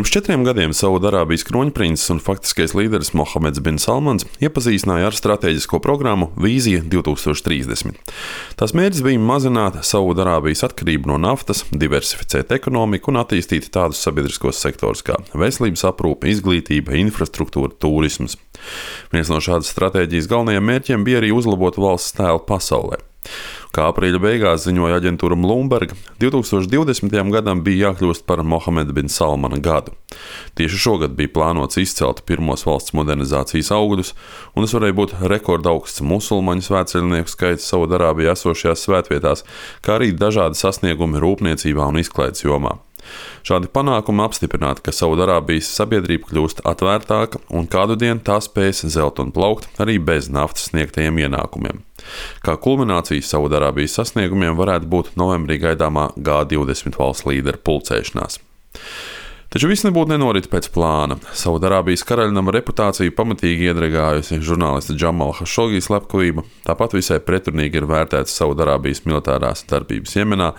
Pirms 4 gadiem Saudarābijas kroņprinces un faktiskais līderis Mohameds bin Salmans iepazīstināja ar stratēģisko programmu Vīzija 2030. Tās mērķis bija mazināt Saudarābijas atkarību no naftas, diversificēt ekonomiku un attīstīt tādus sabiedriskos sektorus kā veselības aprūpe, izglītība, infrastruktūra, turisms. Viens no šādas stratēģijas galvenajiem mērķiem bija arī uzlabot valsts tēlu pasaulē. Kā aprīļa beigās ziņoja aģentūra Bloomberg, 2020. gadam bija jākļūst par Mohameda bin Salmana gadu. Tieši šogad bija plānots izcelt pirmos valsts modernizācijas augļus, un tas varēja būt rekordaugsts musulmaņu svētceļnieku skaits Saudarābijā esošajās svētvietās, kā arī dažādi sasniegumi rūpniecībā un izklaides jomā. Šādi panākumi apstiprināti, ka Saudarābijas sabiedrība kļūst atvērtāka un kādu dienu tā spēs zelt un plaukt arī bez naftas sniegtajiem ienākumiem. Kā kulminācija Saudarābijas sasniegumiem varētu būt novembrī gaidāmā G20 valsts līderu pulcēšanās. Taču viss nebūtu nenorit pēc plāna. Saudarābijas karaļnama reputāciju pamatīgi iedragājusi žurnālista Džamala Hašogī slepkavība, tāpat visai pretrunīgi ir vērtēts Saudarābijas militārās darbības Jemenā,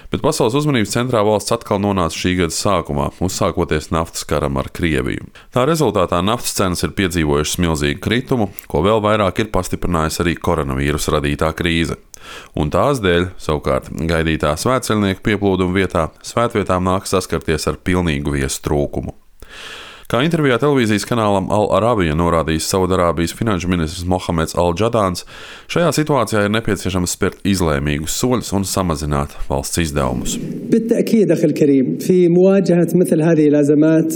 bet pasaules uzmanības centrā valsts atkal nonāca šī gada sākumā, uzsākoties naftas karam ar Krieviju. Tā rezultātā naftas cenas ir piedzīvojušas milzīgu kritumu, ko vēl vairāk ir pastiprinājusi arī koronavīrusa radītā krīze. Un tās dēļ, savukārt, gaidītā svētceļnieku pieplūduma vietā, svētvietām nāk saskarties ar pilnīgu viesu trūkumu. Kā intervijā televīzijas kanālam Al Arabija norādījis Saudarābijas finanšu ministrs Mohameds Al-Jadāns, šajā situācijā ir nepieciešams spērt izlēmīgus soļus un samazināt valsts izdevumus. بالتأكيد أخي الكريم في مواجهة مثل هذه الأزمات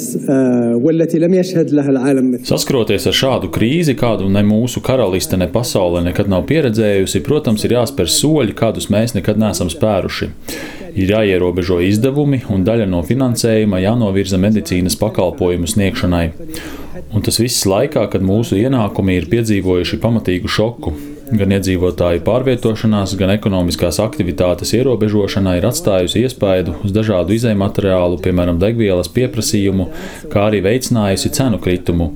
والتي لم يشهد لها العالم. Saskroties ar šādu krīzi, kādu ne mūsu karaliste, ne pasaule nekad nav pieredzējusi, protams, ir jāspēr soļi, kādus mēs nekad neesam spēruši. Ir jāierobežo izdevumi un daļa no finansējuma jānovirza medicīnas pakalpojumu sniegšanai. Un tas viss laikā, kad mūsu ienākumi ir piedzīvojuši pamatīgu šoku. Gan iedzīvotāju pārvietošanās, gan ekonomiskās aktivitātes ierobežošana ir atstājusi iespaidu uz dažādu izejmateriālu, piemēram, degvielas pieprasījumu, kā arī veicinājusi cenu kritumu.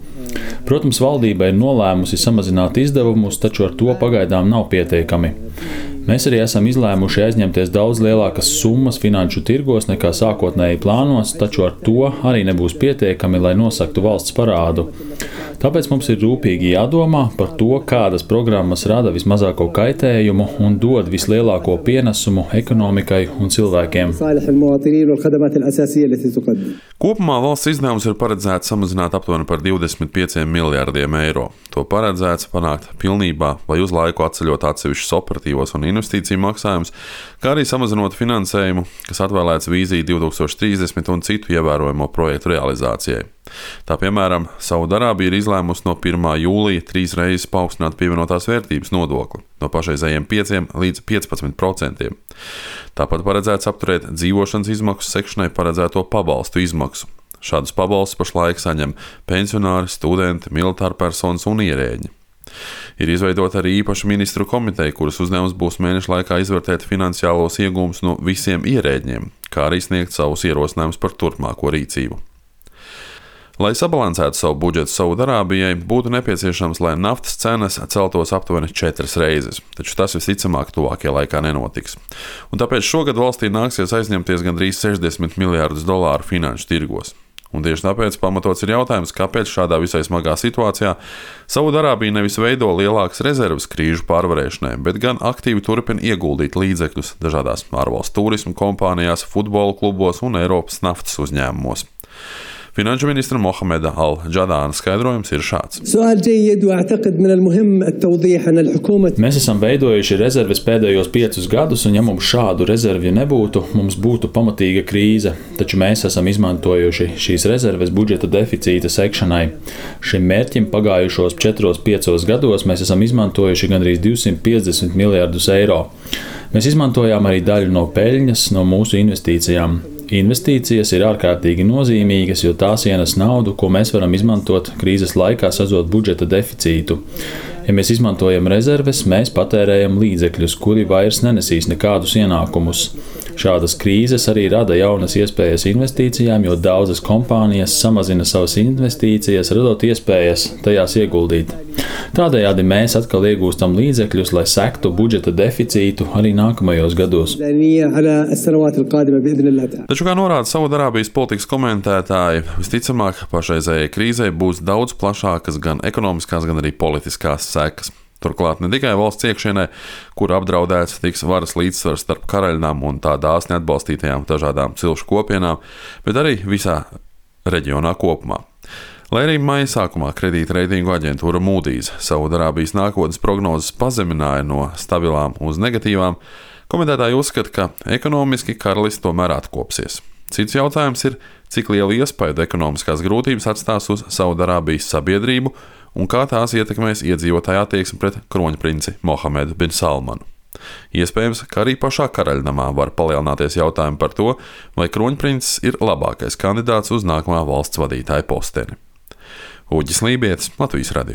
Protams, valdība ir nolēmusi samazināt izdevumus, taču ar to pagaidām nav pietiekami. Mēs arī esam izlēmuši aizņemties daudz lielākas summas finanšu tirgos nekā sākotnēji plānots, taču ar to arī nebūs pietiekami, lai nosaktu valsts parādu. Tāpēc mums ir rūpīgi jādomā par to, kādas programmas rada vismazāko kaitējumu un dod vislielāko pienesumu ekonomikai un cilvēkiem. Kopumā valsts izdevums ir paredzēts samazināt aptuveni par 25 miljārdiem eiro. To paredzēts panākt pilnībā vai uz laiku atceļot atsevišķus operatīvos un investīciju maksājumus, kā arī samazinot finansējumu, kas atvēlēts Vīzija 2030 un citu ievērojamo projektu realizācijai. Tā piemēram, Saudarābija ir izlēmusi no 1. jūlija 3 reizes paaugstināt pievienotās vērtības nodokli no pašreizējiem 5 līdz 15%. Tāpat paredzēts apturēt dzīvošanas izmaksu sekšanai paredzēto pabalstu izmaksu. Šādus pabalstus pašlaik saņem pensionāri, studenti, militārpersonas un ierēģi. Ir izveidota arī īpaša ministru komiteja, kuras uzdevums būs mēneša laikā izvērtēt finansiālos iegūmus no visiem ierēģiem, kā arī sniegt savus ierosinājumus par turpmāko rīcību. Lai sabalansētu savu budžetu Saudarābijai, būtu nepieciešams, lai naftas cenas celtos aptuveni 4 reizes, taču tas visticamāk tuvākajā laikā nenotiks. Un tāpēc šogad valstī nāksies aizņemties gandrīz $60 miljārdus finanšu tirgos. Un tieši tāpēc pamatots ir jautājums, kāpēc šādā visai smagā situācijā Saudarābija nevis veido lielākas rezerves krīžu pārvarēšanai, bet gan aktīvi turpina ieguldīt līdzekļus dažādās ārvalstu turismu kompānijās, futbola klubos un Eiropas naftas uzņēmumos. Finanšu ministra Mohameda Al-Jadāna skaidrojums ir šāds. Mēs esam veidojuši rezerves pēdējos 5 gadus, un ja mums šādu rezervju nebūtu, mums būtu pamatīga krīze. Taču mēs esam izmantojuši šīs rezerves budžeta deficīta sekšanai. Šim mērķim pagājušos 4-5 gados mēs esam izmantojuši gandrīz 250 miljārdus eiro. Mēs izmantojām arī daļu no peļņas no mūsu investīcijām. Investīcijas ir ārkārtīgi nozīmīgas, jo tās ienes naudu, ko mēs varam izmantot krīzes laikā, sazot budžeta deficītu. Ja mēs izmantojam rezerves, mēs patērējam līdzekļus, kuri vairs nenesīs nekādus ienākumus. Šādas krīzes arī rada jaunas iespējas investīcijām, jo daudzas kompānijas samazina savas investīcijas, radot iespējas tajās ieguldīt. Tādējādi mēs atkal iegūstam līdzekļus, lai sektu budžeta deficītu arī nākamajos gados. Taču, kā norāda Saudarābijas politikas komentētāji, visticamāk pašreizējai krīzei būs daudz plašākas gan ekonomiskās, gan arī politiskās sekas. Turklāt ne tikai valsts iekšienē, kur apdraudēts tiks varas līdzsvars starp karaļnām un tā dāsni atbalstītajām dažādām cilšu kopienām, bet arī visā reģionā kopumā. Lai arī maija sākumā kredītreitingu aģentūra Moody's Saudarābijas nākotnes prognozes pazemināja no stabilām uz negatīvām, komentētāji uzskata, ka ekonomiski karalists tomēr atkopsies. Cits jautājums ir, cik lielu iespaidu ekonomiskās grūtības atstās uz Saudarābijas sabiedrību un kā tās ietekmēs iedzīvotāju attieksmi pret kroņprinci Mohamedu bin Salmanu. Iespējams, ka arī pašā karaļnamā var palielināties jautājumi par to, vai kroņprincis ir labākais kandidāts uz nākamā valsts vadītāja posteni. Uģis Lībietis, Latvijas radio.